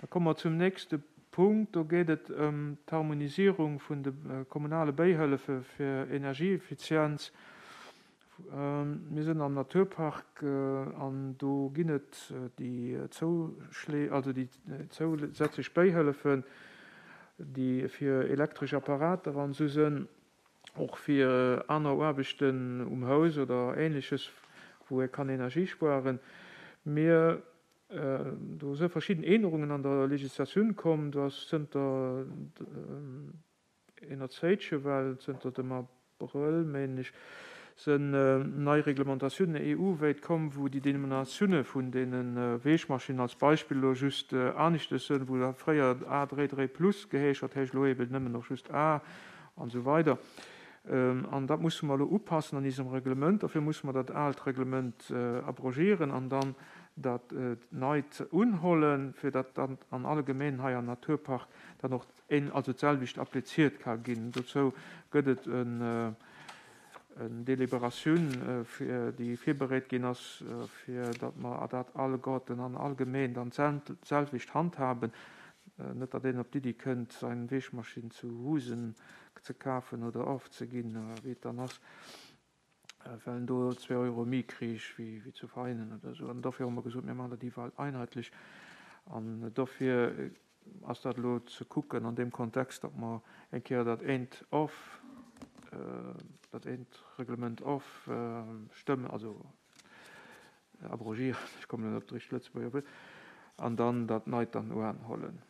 Da komme mer zum nächste Punkt. Do geet et ëm d'Harmonisierung vun de kommunale Bähëllefe fir Energieeffizienz. Mir sinn am Naturpark an do ginn et déi Zouschléi, also déi zousätzlech Bähëllefen, déi fir elektresch Apparater an esou sënn, och fir aner Aarbechten um Haus oder Ähnleches, wou ee kann Energie spueren. Mir Do si verschidden Änerungen an der Legislatioun komm. Do ass zënter ener Zéitche, well zënter dem Abrëll, mengen ech, sinn nei Reglementatiounen EU-wéit komm, wou déi Denominatioune vun deene Wäschmaschinnen als Beispill elo just aneschtes sënn, wou dat fréier A 3 3 plus geheescht hat, heescht elo eben nëmmen och just A an esou weider. An dat musse mer elo upassen an isem Reglement. Dofir musse mer dat aalt Reglement abrogieren an dann dat neit unhollen, fir datt dann an alle Gemeenen hei am Naturpark dann och een, also d'selwecht appliziert ka ginn. Dozou gëtt et en Deliberatioun, déi virbereet ginn ass, fir datt mer dat alleguerten an all Gemeen dann d'selwecht handhaben. Net datt een op d'Iddi kënnt, seng Wäschmaschinn zu Husen ze kafen oder ofzeginn, wéi et dann ass, well en do zwee Euro méi kriich wéi zu Veinen oder esou. An dofir hu mer gesot, mir maachen dat iwwerall einheitlich. An dofir ass dat elo ze kucken an deem Kontext, datt mer eng Kéier dat eent of, dat eent Reglement ofstëmmen, also abrogieren, ech kommen elo net op d'richtegt Lëtzebuerger Wuert, an dann dat neit dann uanhollen.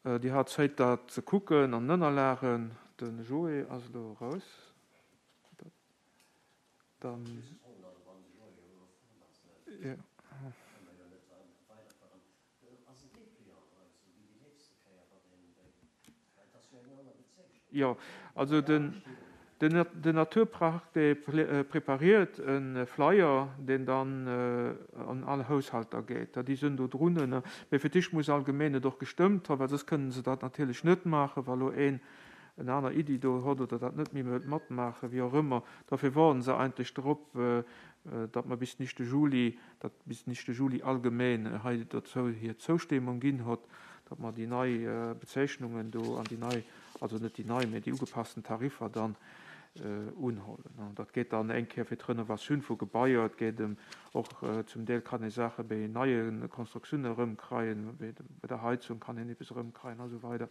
Dir hat Zéit dat ze kucken an Ënnerlagen. De Joé ass elo eraus. Dann. Jo, also den Naturpark dee prepariert e Flyer, deen dann an all Haushalter geet. Déi sinn do drun. Mee fir d'éischt muss allgemeen et och gestëmmt ha, well soss kënnen se dat natierlech net maachen, wa lo een en aner Iddi do hott oder dat net méi wëllt matmaachen, wéi och ëmmer. Dofir woarden se eigentlech drop, datt mer bis den éischte Juli, datt bis den éischte Juli allgemeen hei dozou hir Zoustémmung ginn hott, datt mer déi nei Bezeichnungen do an déi nei, also net déi nei, mä déi ugepassten Tariffer dann unhollen. An dat geet dann eng Kéier fir d'Renovatioun vu Gebaier, et geet ëm och zum Deel kann ee Saache bei neie Konstruktiounen erëmkreien, bei der Heizung kann een eppes erëmkreien a sou weider.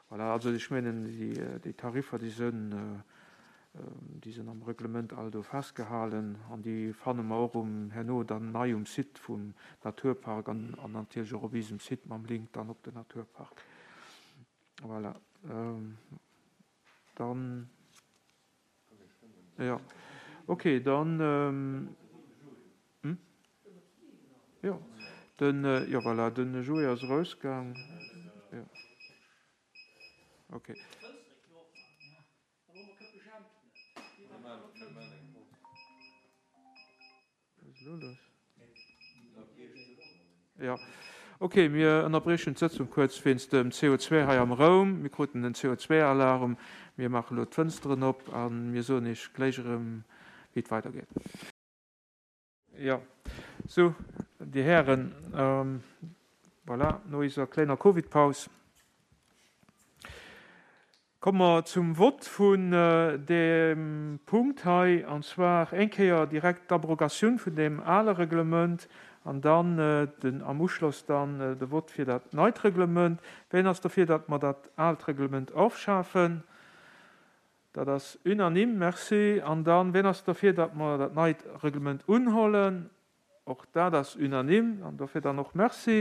Voilà, also ech mengen déi Tariffer, déi sënn, déi sënn am Reglement all do festgehalen an déi fanne mer och um herno dann nei um Site vum Naturpark an natierlech och op eisem Site mam Link dann op den Naturpark. Voilà, dann, jo, okay, dann, jo, den, jo, voilà, den Joé ass erausgaang, jo, okay. Wat ass elo lass? Jo, ok, mir ënnerbriechen d'Sëtzung kuerz wéinst dem CO2 hei am Raum. Mir kruten en CO2-Alarm. Mir maache elo d'Fënsteren op a mir soen Iech gléich erëm, wéi et weidergeet. Jo, sou, Dir Hären, voilà, no eiser kléiner Covid-Paus Komme mer zum Vott vun deem Punkt hei, an zwar eng Kéier direkt d'Abrogatioun vun deem ale Reglement an dann den, am Uschloss dann de Vott fir dat neit Reglement. Wien ass derfir, datt mer dat aalt Reglement ofschafen? Dat ass unanime. Merci. An dann, wien ass derfir, datt mer dat neit Reglement unhollen? Och dat ass unanime. An dofir dann och Merci.